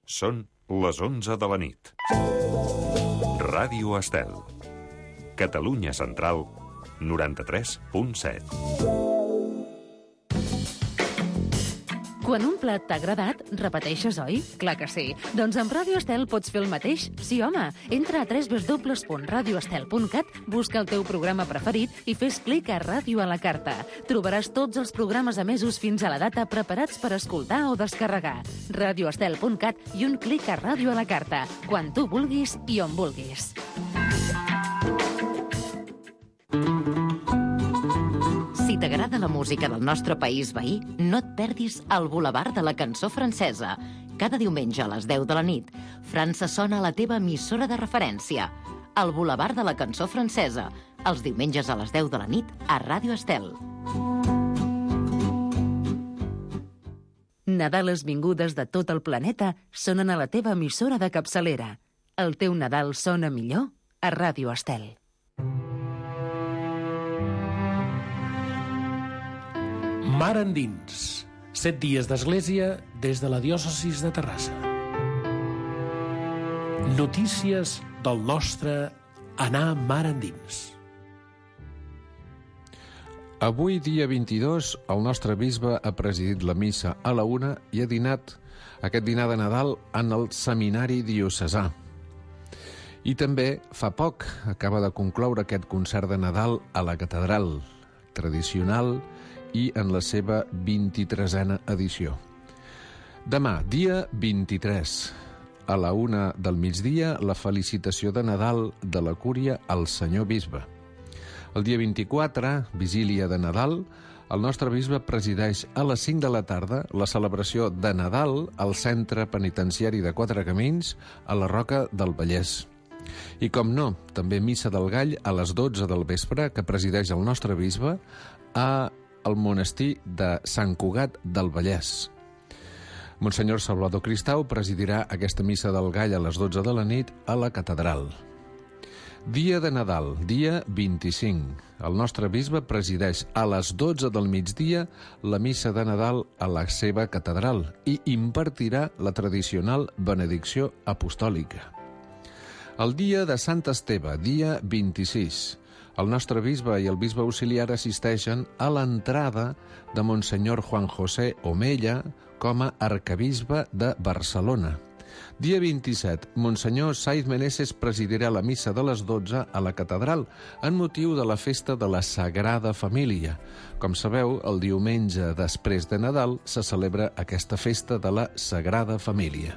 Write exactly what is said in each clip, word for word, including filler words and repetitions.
Són les onze de la nit. Ràdio Estel. Catalunya Central, noranta-tres punt set. Quan un plat t'ha agradat, repeteixes, oi? Clar que sí. Doncs amb Ràdio Estel pots fer el mateix. Sí, home. Entra a w w w punt radio estel punt cat, busca el teu programa preferit i fes clic a Ràdio a la carta. Trobaràs tots els programes emesos fins a la data preparats per escoltar o descarregar. radio estel punt cat i un clic a Ràdio a la carta. Quan tu vulguis i on vulguis. Si t'agrada la música del nostre país veí, no et perdis el Boulevard de la Cançó Francesa. Cada diumenge a les deu de la nit, França sona a la teva emissora de referència. El Boulevard de la Cançó Francesa, els diumenges a les deu de la nit a Ràdio Estel. Nadales vingudes de tot el planeta sonen a la teva emissora de capçalera. El teu Nadal sona millor a Ràdio Estel. Mar endins. Set dies d'església des de la diòcesis de Terrassa. Notícies del nostre anar mar endins. Avui, dia vint-i-dos, el nostre bisbe ha presidit la missa a la una i ha dinat aquest dinar de Nadal en el seminari diocesà. I també, fa poc, acaba de concloure aquest concert de Nadal a la catedral, tradicional i en la seva vint-i-tresena edició. Demà, dia vint-i-tres, a la una del migdia, la felicitació de Nadal de la Cúria al senyor bisbe. El dia vint-i-quatre, vigília de Nadal, el nostre bisbe presideix a les cinc de la tarda la celebració de Nadal al Centre Penitenciari de Quatre Camins a la Roca del Vallès. I com no, també missa del Gall a les dotze del vespre, que presideix el nostre bisbe a al monestir de Sant Cugat del Vallès. Monsenyor Salvador Cristau presidirà aquesta missa del Gall a les dotze de la nit a la catedral. Dia de Nadal, dia vint-i-cinc. El nostre bisbe presideix a les dotze del migdia la missa de Nadal a la seva catedral i impartirà la tradicional benedicció apostòlica. El dia de Sant Esteve, dia vint-i-sis. El nostre bisbe i el bisbe auxiliar assisteixen a l'entrada de Monsenyor Juan José Omella com a arcabisbe de Barcelona. Dia vint-i-set, Monsenyor Saiz Meneses presidirà la missa de les dotze a la catedral en motiu de la festa de la Sagrada Família. Com sabeu, el diumenge després de Nadal se celebra aquesta festa de la Sagrada Família.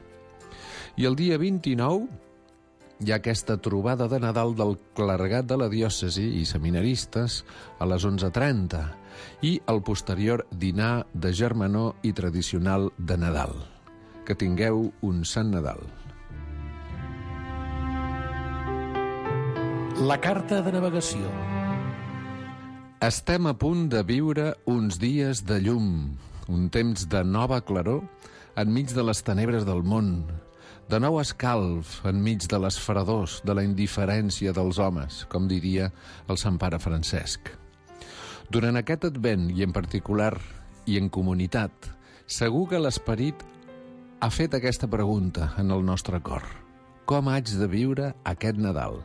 I el dia vint-i-nou hi ha aquesta trobada de Nadal del clergat de la diòcesi i seminaristes a les onze trenta i el posterior dinar de germanor i tradicional de Nadal. Que tingueu un sant Nadal. La carta de navegació. Estem a punt de viure uns dies de llum, un temps de nova claror enmig de les tenebres del món, de nou escalf enmig de les fredors, de la indiferència dels homes, com diria el Sant Pare Francesc. Durant aquest advent, i en particular, i en comunitat, segur que l'esperit ha fet aquesta pregunta en el nostre cor. Com haig de viure aquest Nadal?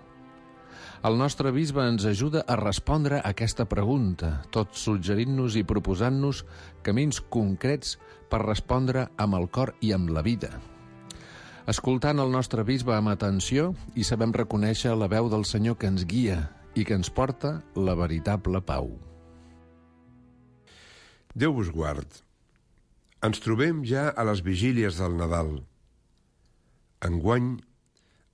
El nostre bisbe ens ajuda a respondre a aquesta pregunta, tot suggerint-nos i proposant-nos camins concrets per respondre amb el cor i amb la vida. Escoltant el nostre bisbe amb atenció i sabem reconèixer la veu del Senyor que ens guia i que ens porta la veritable pau. Déu vos guard. Ens trobem ja a les vigílies del Nadal. Enguany,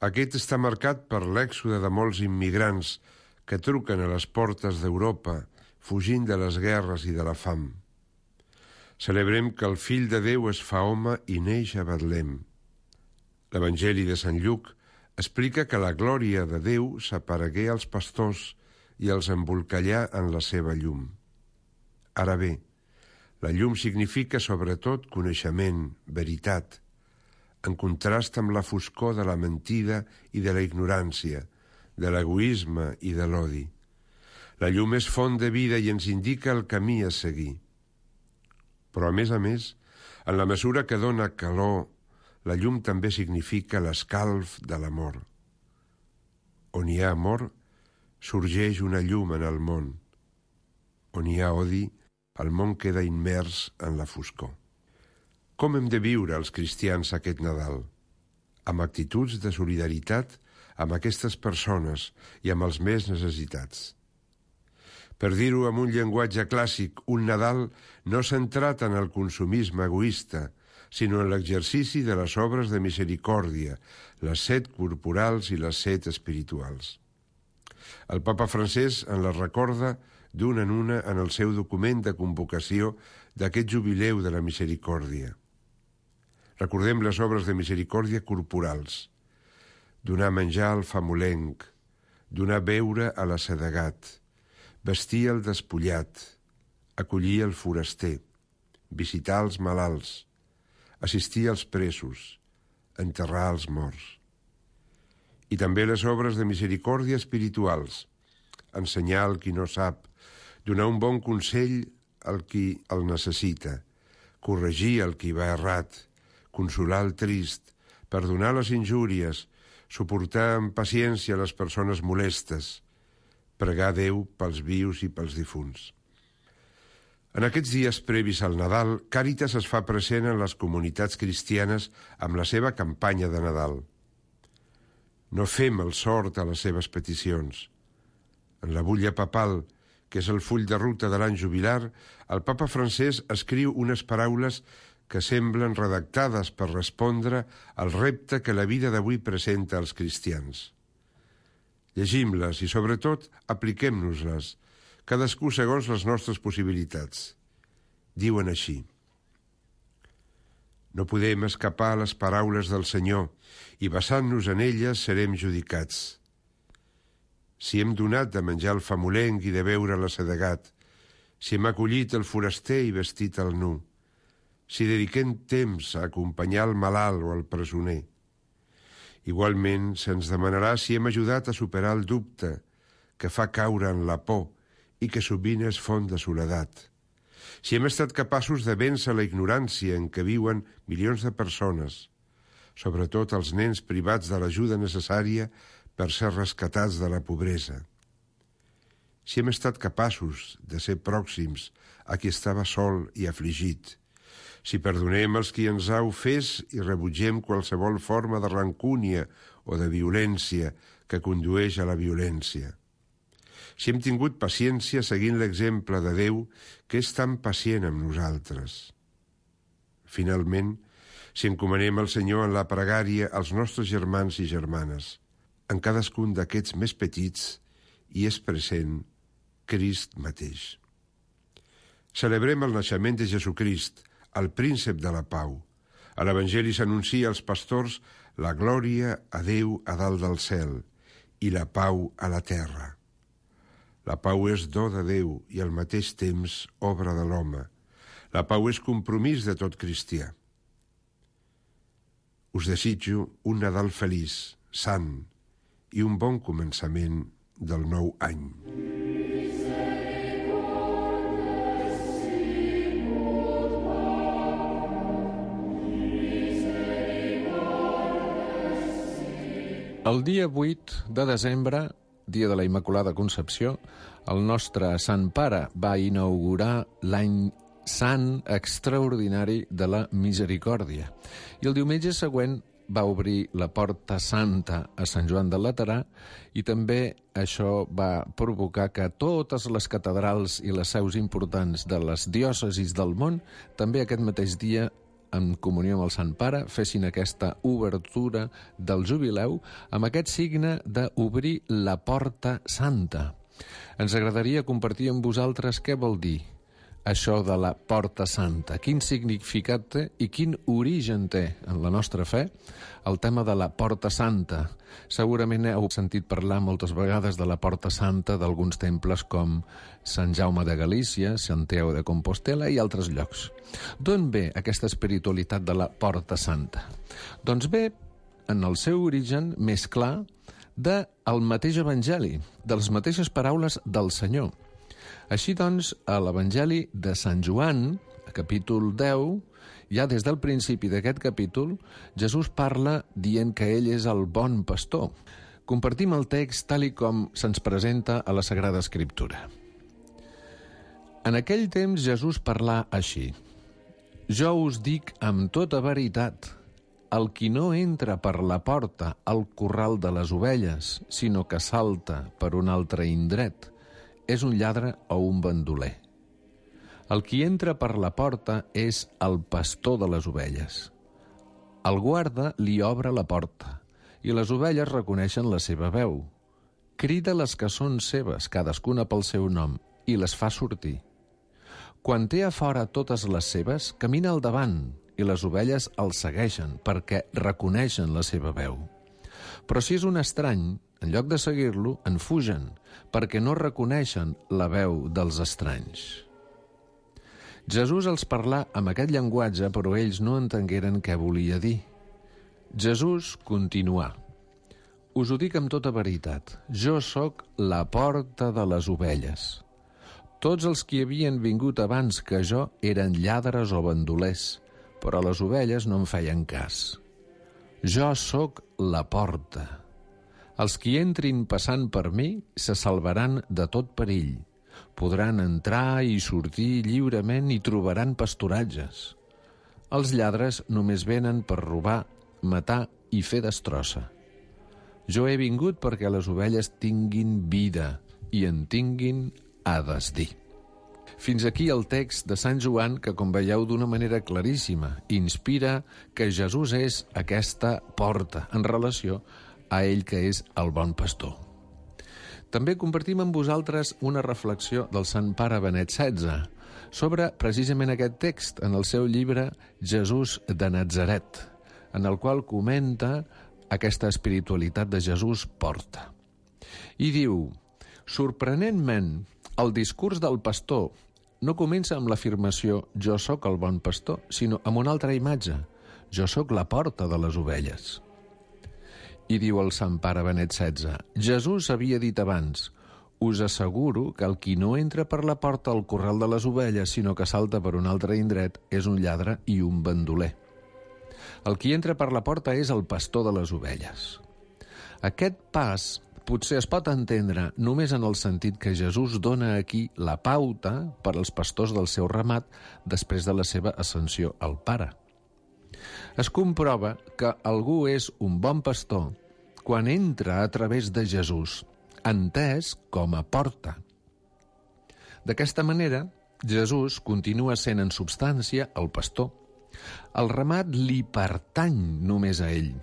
aquest està marcat per l'èxode de molts immigrants que truquen a les portes d'Europa, fugint de les guerres i de la fam. Celebrem que el Fill de Déu es fa home i neix a Betlem. L'Evangeli de Sant Lluc explica que la glòria de Déu s'aparegué als pastors i els embolcallà en la seva llum. Ara bé, la llum significa sobretot coneixement, veritat, en contrast amb la foscor de la mentida i de la ignorància, de l'egoisme i de l'odi. La llum és font de vida i ens indica el camí a seguir. Però, a més a més, en la mesura que dona calor la llum també significa l'escalf de l'amor. On hi ha amor, sorgeix una llum en el món. On hi ha odi, el món queda immers en la foscor. Com hem de viure els cristians aquest Nadal? Amb actituds de solidaritat amb aquestes persones i amb els més necessitats. Per dir-ho amb un llenguatge clàssic, un Nadal no centrat en el consumisme egoista, sinó en l'exercici de les obres de misericòrdia, les set corporals i les set espirituals. El papa francès en les recorda d'una en una en el seu document de convocació d'aquest jubileu de la misericòrdia. Recordem les obres de misericòrdia corporals: donar menjar al famolenc, donar beure a l'assedegat, vestir el despullat, acollir el foraster, visitar els malalts, assistir als presos, enterrar els morts. I també les obres de misericòrdia espirituals: ensenyar al qui no sap, donar un bon consell al qui el necessita, corregir el qui va errat, consolar el trist, perdonar les injúries, suportar amb paciència les persones molestes, pregar a Déu pels vius i pels difunts. En aquests dies previs al Nadal, Càritas es fa present en les comunitats cristianes amb la seva campanya de Nadal. No fem el sort a les seves peticions. En la butlla papal, que és el full de ruta de l'any jubilar, el papa francès escriu unes paraules que semblen redactades per respondre al repte que la vida d'avui presenta als cristians. Llegim-les i, sobretot, apliquem-nos-les, cadascú segons les nostres possibilitats. Diuen així: no podem escapar a les paraules del Senyor i basant-nos en elles serem judicats. Si hem donat de menjar al famolenc i de beure a l'assedegat, si hem acollit el foraster i vestit el nu, si dediquem temps a acompanyar el malalt o el presoner. Igualment, se'ns demanarà si hem ajudat a superar el dubte que fa caure en la por i que sovint és font de soledat. Si hem estat capaços de vèncer la ignorància en què viuen milions de persones, sobretot els nens privats de l'ajuda necessària per ser rescatats de la pobresa. Si hem estat capaços de ser pròxims a qui estava sol i afligit, si perdonem els qui ens ha ofès i rebutgem qualsevol forma de rancúnia o de violència que condueix a la violència. Si hem tingut paciència seguint l'exemple de Déu, que és tan pacient amb nosaltres. Finalment, si encomanem al Senyor en la pregària als nostres germans i germanes, en cadascun d'aquests més petits hi és present Crist mateix. Celebrem el naixement de Jesucrist, el príncep de la pau. A l'Evangeli s'anuncia als pastors la glòria a Déu a dalt del cel i la pau a la terra. La pau és do de Déu i al mateix temps obra de l'home. La pau és compromís de tot cristià. Us desitjo un Nadal feliç, sant i un bon començament del nou any. El dia vuit de desembre, dia de la Immaculada Concepció, el nostre Sant Pare va inaugurar l'any sant extraordinari de la Misericòrdia. I el diumenge següent va obrir la Porta Santa a Sant Joan del Laterà i també això va provocar que totes les catedrals i les seus importants de les diòcesis del món també aquest mateix dia, en comunió amb el Sant Pare, fessin aquesta obertura del jubileu amb aquest signe d'obrir la Porta Santa. Ens agradaria compartir amb vosaltres què vol dir això de la Porta Santa, quin significat té i quin origen té en la nostra fe el tema de la Porta Santa. Segurament heu sentit parlar moltes vegades de la Porta Santa d'alguns temples com Sant Jaume de Galícia, Santiago de Compostela i altres llocs. D'on ve aquesta espiritualitat de la Porta Santa? Doncs ve, en el seu origen més clar, del mateix Evangeli, de les mateixes paraules del Senyor. Així doncs, a l'Evangeli de Sant Joan, a capítol deu, Ja des del principi d'aquest capítol, Jesús parla dient que ell és el bon pastor. Compartim el text tal i com se'ns presenta a la Sagrada Escriptura. En aquell temps Jesús parlà així: «Jo us dic amb tota veritat, el qui no entra per la porta al corral de les ovelles, sinó que salta per un altre indret, és un lladre o un bandoler. El qui entra per la porta és el pastor de les ovelles. El guarda li obre la porta, i les ovelles reconeixen la seva veu. Crida les que són seves, cadascuna pel seu nom, i les fa sortir. Quan té a fora totes les seves, camina al davant, i les ovelles el segueixen perquè reconeixen la seva veu. Però si és un estrany, en lloc de seguir-lo, en fugen, perquè no reconeixen la veu dels estranys». Jesús els parlà amb aquest llenguatge, però ells no entengueren què volia dir. Jesús continuà: «Us ho dic amb tota veritat, jo sóc la porta de les ovelles. Tots els qui havien vingut abans que jo eren lladres o bandolers, però les ovelles no em feien cas. Jo sóc la porta. Els qui entrin passant per mi se salvaran de tot perill. Podran entrar i sortir lliurement i trobaran pasturatges. Els lladres només venen per robar, matar i fer destrossa. Jo he vingut perquè les ovelles tinguin vida i en tinguin a desdir». Fins aquí el text de Sant Joan que, com veieu d'una manera claríssima, inspira que Jesús és aquesta porta en relació a ell que és el bon pastor. També compartim amb vosaltres una reflexió del Sant Pare Benet setze sobre precisament aquest text en el seu llibre Jesús de Natzaret, en el qual comenta aquesta espiritualitat de Jesús porta. I diu: «Sorprenentment, el discurs del pastor no comença amb l'afirmació «jo sóc el bon pastor», sinó amb una altra imatge: «Jo sóc la porta de les ovelles». I diu el Sant Pare Benet setze: «Jesús havia dit abans: us asseguro que el qui no entra per la porta al corral de les ovelles, sinó que salta per un altre indret, és un lladre i un bandoler. El qui entra per la porta és el pastor de les ovelles». Aquest pas potser es pot entendre només en el sentit que Jesús dona aquí la pauta per als pastors del seu ramat després de la seva ascensió al Pare. Es comprova que algú és un bon pastor quan entra a través de Jesús, entès com a porta. D'aquesta manera, Jesús continua sent en substància el pastor. El ramat li pertany només a ell.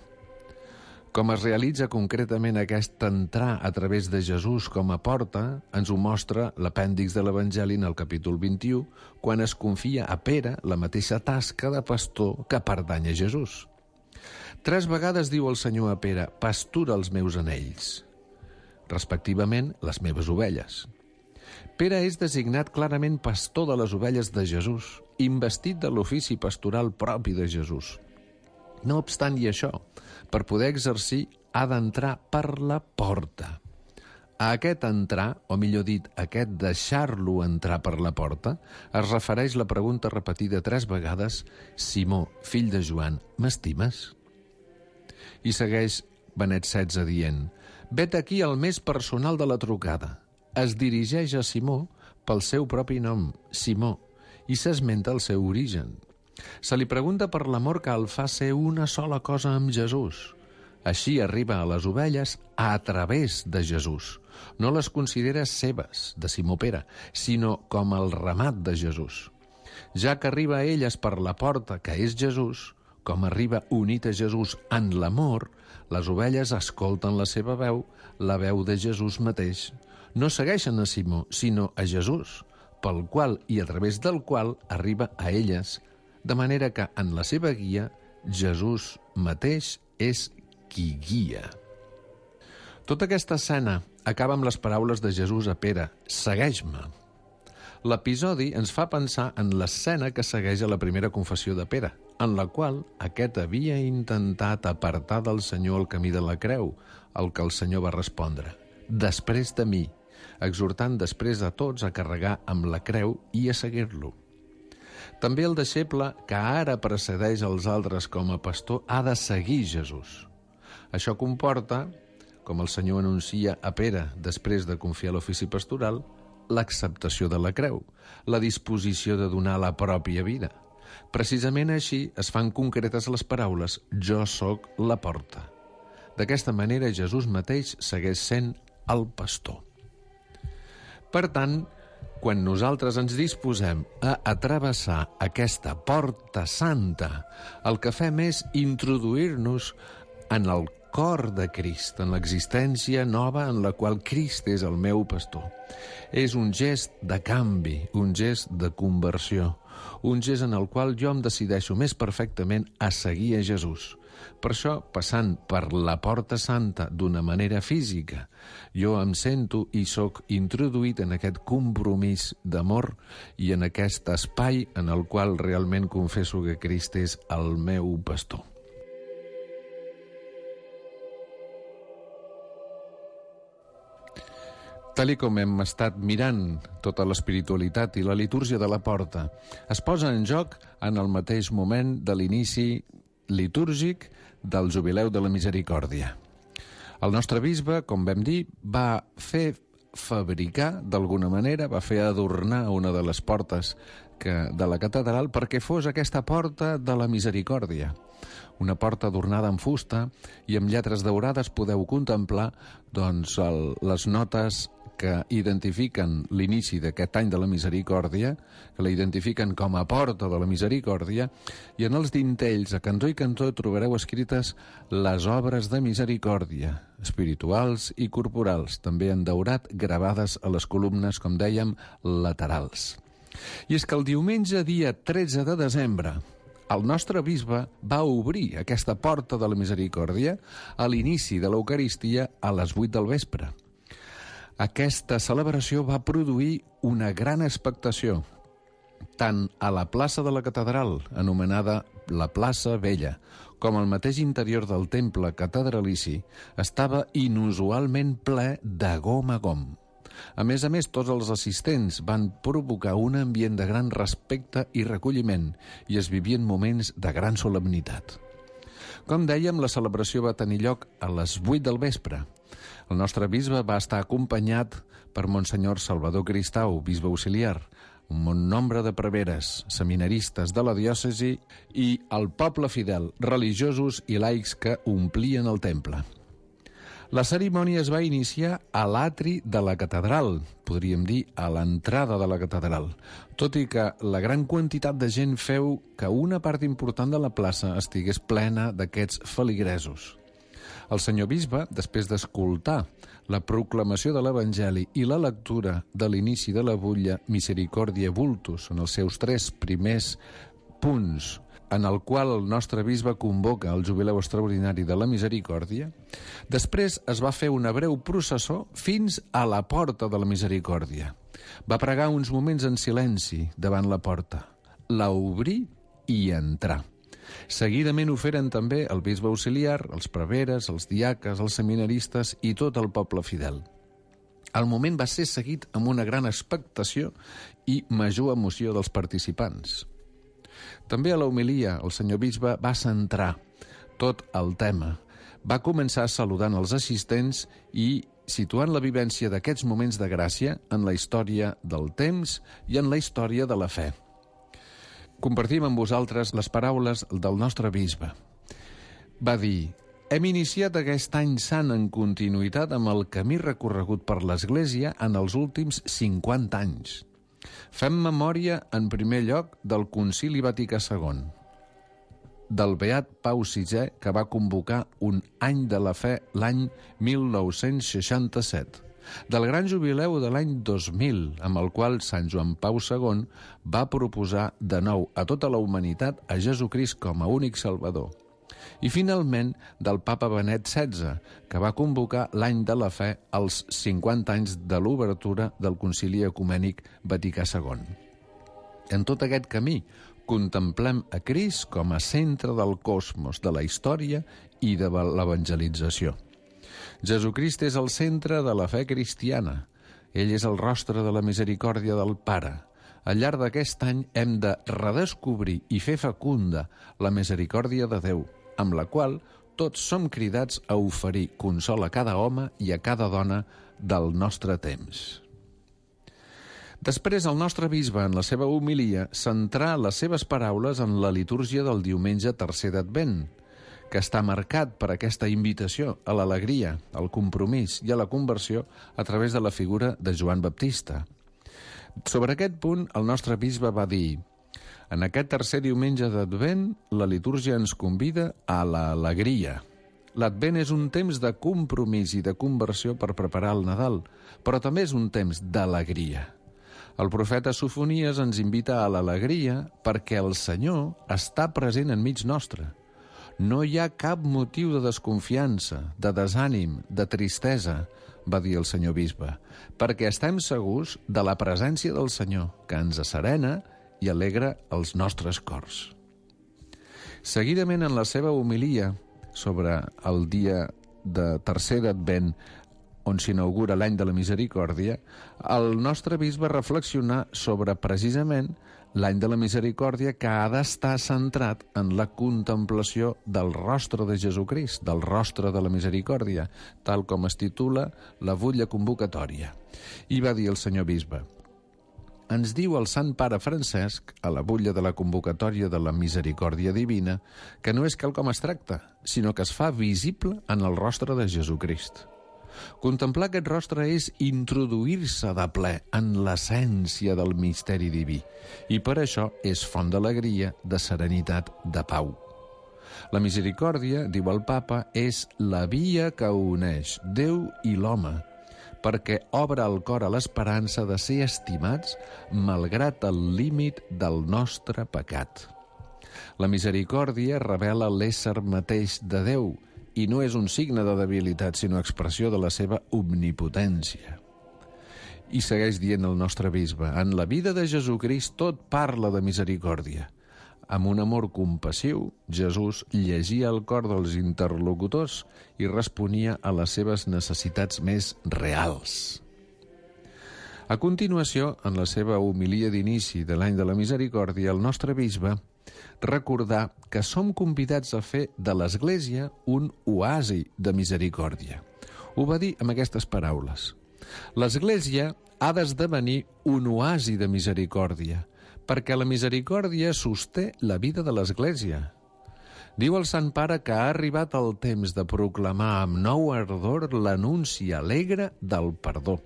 Com es realitza concretament aquest entrar a través de Jesús com a porta, ens ho mostra l'apèndix de l'Evangeli en el capítol vint-i-u, quan es confia a Pere la mateixa tasca de pastor que pertany a Jesús. Tres vegades diu el Senyor a Pere: «Pastura els meus anells», respectivament les meves ovelles. Pere és designat clarament pastor de les ovelles de Jesús, investit de l'ofici pastoral propi de Jesús. No obstant i això, per poder exercir ha d'entrar per la porta. A aquest entrar, o millor dit, a aquest deixar-lo entrar per la porta, es refereix la pregunta repetida tres vegades: «Simó, fill de Joan, m'estimes?» I segueix Benet setze dient: «Vet aquí el més personal de la trucada. Es dirigeix a Simó pel seu propi nom, Simó, i s'esmenta el seu origen. Se li pregunta per l'amor que el fa ser una sola cosa amb Jesús. Així arriba a les ovelles a través de Jesús. No les considera seves, de Simó Pere, sinó com el ramat de Jesús. Ja que arriba a elles per la porta, que és Jesús, com arriba unit a Jesús en l'amor, les ovelles escolten la seva veu, la veu de Jesús mateix. No segueixen a Simó, sinó a Jesús, pel qual i a través del qual arriba a elles, de manera que en la seva guia Jesús mateix és qui guia». Tota aquesta escena acaba amb les paraules de Jesús a Pere: «Segueix-me». L'episodi ens fa pensar en l'escena que segueix a la primera confessió de Pere, en la qual aquest havia intentat apartar del Senyor el camí de la creu, al que el Senyor va respondre: «Després de mi», exhortant després a tots a carregar amb la creu i a seguir-lo. També el deixeble que ara precedeix els altres com a pastor ha de seguir Jesús. Això comporta, com el Senyor anuncia a Pere després de confiar l'ofici pastoral, l'acceptació de la creu, la disposició de donar la pròpia vida. Precisament així es fan concretes les paraules «Jo sóc la porta». D'aquesta manera Jesús mateix segueix sent el pastor. Per tant, quan nosaltres ens disposem a atravessar aquesta porta santa, el que fem és introduir-nos en el cor de Crist, en l'existència nova en la qual Crist és el meu pastor. És un gest de canvi, un gest de conversió, un gest en el qual jo em decideixo més perfectament a seguir a Jesús. Per això, passant per la porta santa d'una manera física, jo em sento i sóc introduït en aquest compromís d'amor i en aquest espai en el qual realment confesso que Crist és el meu pastor. Tal i com hem estat mirant tota l'espiritualitat i la litúrgia de la porta, es posa en joc en el mateix moment de l'inici litúrgic del Jubileu de la Misericòrdia. El nostre bisbe, com vam dir, va fer fabricar, d'alguna manera, va fer adornar una de les portes que, de la catedral perquè fos aquesta porta de la Misericòrdia. Una porta adornada amb fusta i amb lletres daurades podeu contemplar doncs, el, les notes que identifiquen l'inici d'aquest any de la Misericòrdia, que la identifiquen com a porta de la Misericòrdia, i en els dintells, a cantó i cantó, trobareu escrites les obres de misericòrdia, espirituals i corporals, també en daurat, gravades a les columnes, com dèiem, laterals. I és que el diumenge, dia tretze de desembre, el nostre bisbe va obrir aquesta porta de la Misericòrdia a l'inici de l'Eucaristia a les vuit del vespre. Aquesta celebració va produir una gran expectació, tant a la plaça de la catedral, anomenada la plaça Vella, com al mateix interior del temple catedralici, estava inusualment ple de gom a gom. A més a més, tots els assistents van provocar un ambient de gran respecte i recolliment i es vivien moments de gran solemnitat. Com dèiem, la celebració va tenir lloc a les vuit del vespre. El nostre bisbe va estar acompanyat per Monsenyor Salvador Cristau, bisbe auxiliar, un bon nombre de preveres, seminaristes de la diòcesi i el poble fidel, religiosos i laics que omplien el temple. La cerimònia es va iniciar a l'atri de la catedral, podríem dir a l'entrada de la catedral, tot i que la gran quantitat de gent feu que una part important de la plaça estigués plena d'aquests feligresos. El senyor bisbe, després d'escoltar la proclamació de l'Evangeli i la lectura de l'inici de la butlla Misericòrdia Vultus, en els seus tres primers punts, en el qual el nostre bisbe convoca el Jubileu Extraordinari de la Misericòrdia, després es va fer una breu processó fins a la porta de la Misericòrdia. Va pregar uns moments en silenci davant la porta, la obrir i entrar. Seguidament ho feren també el bisbe auxiliar, els preveres, els diaques, els seminaristes i tot el poble fidel. El moment va ser seguit amb una gran expectació i major emoció dels participants. També a la homilia el senyor bisbe va centrar tot el tema. Va començar saludant els assistents i situant la vivència d'aquests moments de gràcia en la història del temps i en la història de la fe. Compartim amb vosaltres les paraules del nostre bisbe. Va dir: hem iniciat aquest any sant en continuïtat amb el camí recorregut per l'Església en els últims cinquanta anys. Fem memòria, en primer lloc, del Concili Vaticà segon, del beat Pau sisè, que va convocar un any de la fe l'any mil nou-cents seixanta-set, del gran jubileu de l'any dos mil, amb el qual Sant Joan Pau segon va proposar de nou a tota la humanitat a Jesucrist com a únic salvador. I finalment del papa Benet setze, que va convocar l'any de la fe als cinquanta anys de l'obertura del Concili Ecumènic Vaticà segon. En tot aquest camí contemplem a Crist com a centre del cosmos, de la història i de l'evangelització. Jesucrist és el centre de la fe cristiana. Ell és el rostre de la misericòrdia del Pare. Al llarg d'aquest any hem de redescobrir i fer fecunda la misericòrdia de Déu, amb la qual tots som cridats a oferir consol a cada home i a cada dona del nostre temps. Després, el nostre bisbe, en la seva homilia, centrà les seves paraules en la litúrgia del diumenge tercer d'Advent, que està marcat per aquesta invitació a l'alegria, al compromís i a la conversió a través de la figura de Joan Baptista. Sobre aquest punt, el nostre bisbe va dir: en aquest tercer diumenge d'Advent, la litúrgia ens convida a l'alegria. L'Advent és un temps de compromís i de conversió per preparar el Nadal, però també és un temps d'alegria. El profeta Sofonies ens invita a l'alegria perquè el Senyor està present enmig nostre. No hi ha cap motiu de desconfiança, de desànim, de tristesa, va dir el senyor bisbe, perquè estem segurs de la presència del Senyor, que ens asserena i alegra els nostres cors. Seguidament, en la seva homilia sobre el dia de tercer d'Advent, on s'inaugura l'any de la misericòrdia, el nostre bisbe reflexionà sobre precisament l'any de la misericòrdia, que ha d'estar centrat en la contemplació del rostre de Jesucrist, del rostre de la misericòrdia, tal com es titula la butlla convocatòria. I va dir el senyor bisbe: ens diu el Sant Pare Francesc, a la butlla de la convocatòria de la misericòrdia divina, que no és quelcom abstracte, sinó que es fa visible en el rostre de Jesucrist. Contemplar aquest rostre és introduir-se de ple en l'essència del misteri diví, i per això és font d'alegria, de serenitat, de pau. La misericòrdia, diu el papa, és la via que uneix Déu i l'home, perquè obre el cor a l'esperança de ser estimats malgrat el límit del nostre pecat. La misericòrdia revela l'ésser mateix de Déu, i no és un signe de debilitat, sinó expressió de la seva omnipotència. I segueix dient el nostre bisbe: en la vida de Jesucrist tot parla de misericòrdia. Amb un amor compassiu, Jesús llegia el cor dels interlocutors i responia a les seves necessitats més reals. A continuació, en la seva homilia d'inici de l'any de la misericòrdia, el nostre bisbe recordar que som convidats a fer de l'Església un oasi de misericòrdia. Ho va dir amb aquestes paraules: l'Església ha d'esdevenir un oasi de misericòrdia, perquè la misericòrdia sosté la vida de l'Església. Diu el Sant Pare que ha arribat el temps de proclamar amb nou ardor l'anunci alegre del perdó.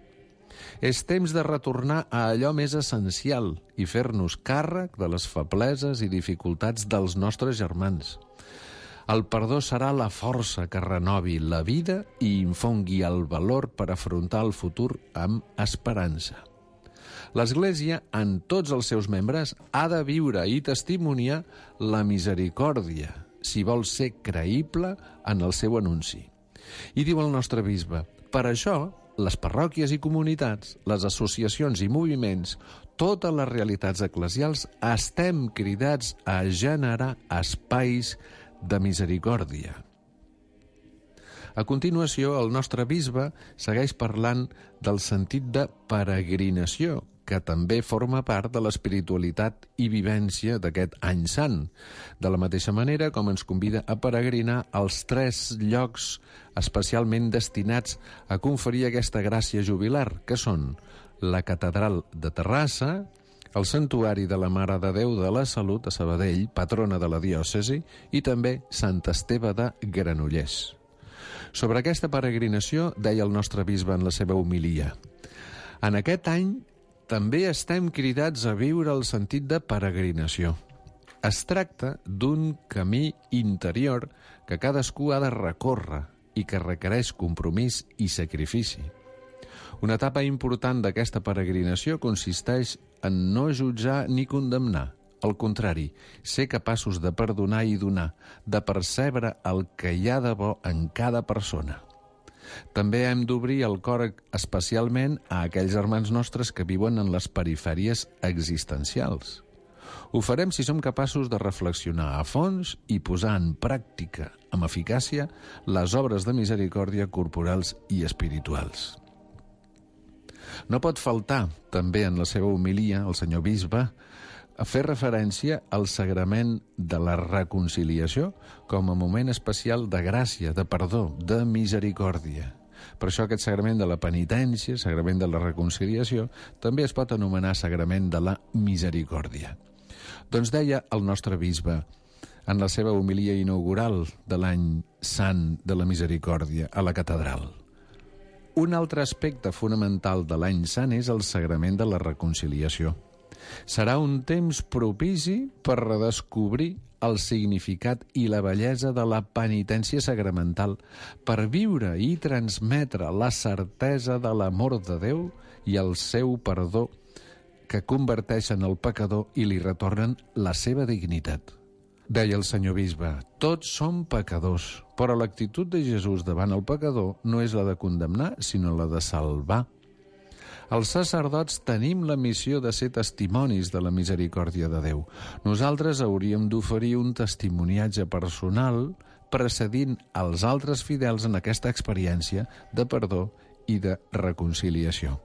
És temps de retornar a allò més essencial i fer-nos càrrec de les febleses i dificultats dels nostres germans. El perdó serà la força que renovi la vida i infongui el valor per afrontar el futur amb esperança. L'Església, en tots els seus membres, ha de viure i testimoniar la misericòrdia, si vol ser creïble en el seu anunci. I diu el nostre bisbe: per això, les parròquies i comunitats, les associacions i moviments, totes les realitats eclesials, estem cridats a generar espais de misericòrdia. A continuació, el nostre bisbe segueix parlant del sentit de peregrinació, que també forma part de l'espiritualitat i vivència d'aquest any sant, de la mateixa manera com ens convida a peregrinar als tres llocs especialment destinats a conferir aquesta gràcia jubilar, que són la Catedral de Terrassa, el Santuari de la Mare de Déu de la Salut a Sabadell, patrona de la diòcesi, i també Sant Esteve de Granollers. Sobre aquesta peregrinació deia el nostre bisbe en la seva homilia: en aquest any també estem cridats a viure el sentit de peregrinació. Es tracta d'un camí interior que cadascú ha de recórrer i que requereix compromís i sacrifici. Una etapa important d'aquesta peregrinació consisteix en no jutjar ni condemnar. Al contrari, ser capaços de perdonar i donar, de percebre el que hi ha de bo en cada persona. També hem d'obrir el cor especialment a aquells germans nostres que viuen en les perifèries existencials. Ho farem si som capaços de reflexionar a fons i posar en pràctica, amb eficàcia, les obres de misericòrdia corporals i espirituals. No pot faltar, també en la seva homilia, el senyor bisbe, a fer referència al sagrament de la reconciliació com a moment especial de gràcia, de perdó, de misericòrdia. Per això aquest sagrament de la penitència, sagrament de la reconciliació, també es pot anomenar sagrament de la misericòrdia. Doncs deia el nostre bisbe, en la seva homilia inaugural de l'any sant de la misericòrdia a la catedral. Un altre aspecte fonamental de l'any sant és el sagrament de la reconciliació. Serà un temps propici per redescobrir el significat i la bellesa de la penitència sacramental, per viure i transmetre la certesa de l'amor de Déu i el seu perdó que converteixen el pecador i li retornen la seva dignitat. Deia el senyor bisbe, tots som pecadors, però l'actitud de Jesús davant el pecador no és la de condemnar, sinó la de salvar. Els sacerdots tenim la missió de ser testimonis de la misericòrdia de Déu. Nosaltres hauríem d'oferir un testimoniatge personal precedint els altres fidels en aquesta experiència de perdó i de reconciliació.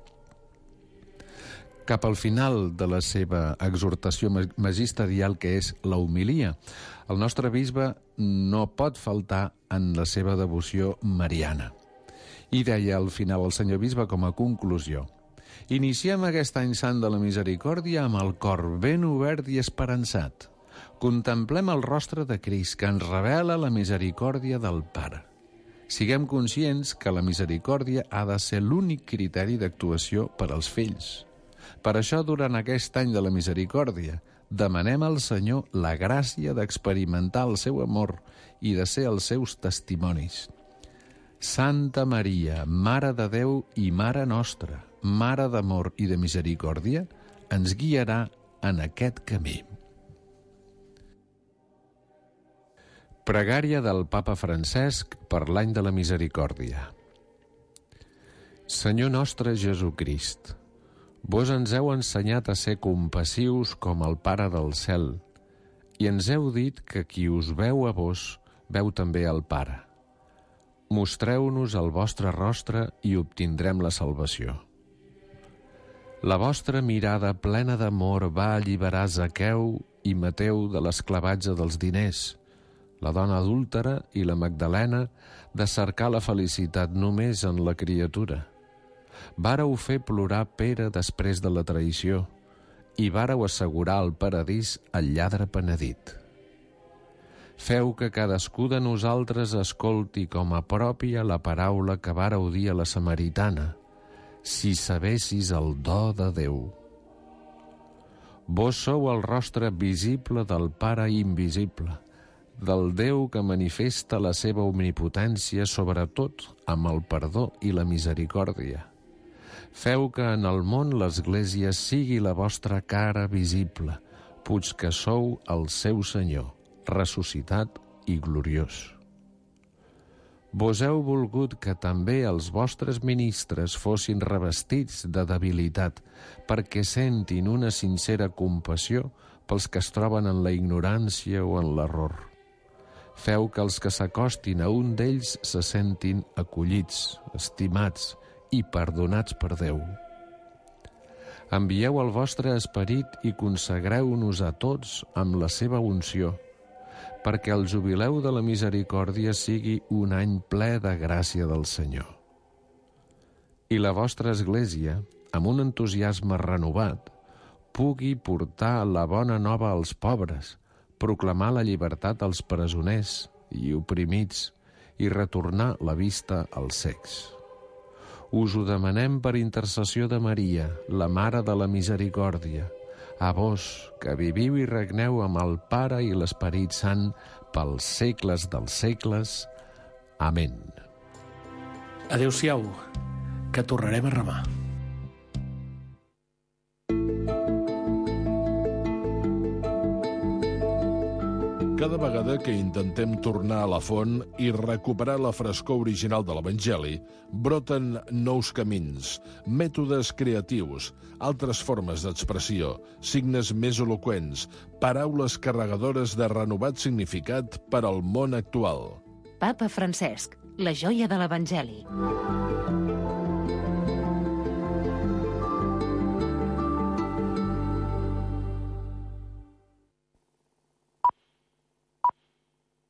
Cap al final de la seva exhortació magisterial, que és la homilia, el nostre bisbe no pot faltar en la seva devoció mariana. I deia al final el senyor bisbe com a conclusió: iniciem aquest any sant de la misericòrdia amb el cor ben obert i esperançat. Contemplem el rostre de Crist, que ens revela la misericòrdia del Pare. Siguem conscients que la misericòrdia ha de ser l'únic criteri d'actuació per als fills. Per això, durant aquest any de la misericòrdia, demanem al Senyor la gràcia d'experimentar el seu amor i de ser els seus testimonis. Santa Maria, Mare de Déu i Mare nostra, Mare d'amor i de misericòrdia, ens guiarà en aquest camí. Pregària del Papa Francesc per l'any de la misericòrdia. Senyor nostre Jesucrist, vos ens heu ensenyat a ser compassius com el Pare del cel, i ens heu dit que qui us veu a vos, veu també al Pare. Mostreu-nos el vostre rostre i obtindrem la salvació. La vostra mirada plena d'amor va alliberar Zaqueu i Mateu de l'esclavatge dels diners, la dona adúltera i la Magdalena de cercar la felicitat només en la criatura. Vàreu fer plorar Pere després de la traïció i vàreu assegurar al paradís el lladre penedit. Feu que cadascú de nosaltres escolti com a pròpia la paraula que vàreu dir a la samaritana: si sabessis el do de Déu. Vos sou el rostre visible del Pare invisible, del Déu que manifesta la seva omnipotència, sobretot amb el perdó i la misericòrdia. Feu que en el món l'Església sigui la vostra cara visible, puig que sou el seu Senyor, ressuscitat i gloriós. Vos heu volgut que també els vostres ministres fossin revestits de debilitat, perquè sentin una sincera compassió pels que es troben en la ignorància o en l'error. Feu que els que s'acostin a un d'ells se sentin acollits, estimats i perdonats per Déu. Envieu el vostre esperit i consagreu-nos a tots amb la seva unció, perquè el jubileu de la misericòrdia sigui un any ple de gràcia del Senyor. I la vostra Església, amb un entusiasme renovat, pugui portar la bona nova als pobres, proclamar la llibertat als presoners i oprimits i retornar la vista als cecs. Us ho demanem per intercessió de Maria, la Mare de la Misericòrdia, a vos, que viviu i regneu amb el Pare i l'Esperit Sant pels segles dels segles. Amén. Adéu-siau, que tornarem a remar. Cada vegada que intentem tornar a la font i recuperar la frescor original de l'Evangeli, broten nous camins, mètodes creatius, altres formes d'expressió, signes més eloqüents, paraules carregadores de renovat significat per al món actual. Papa Francesc, la joia de l'Evangeli.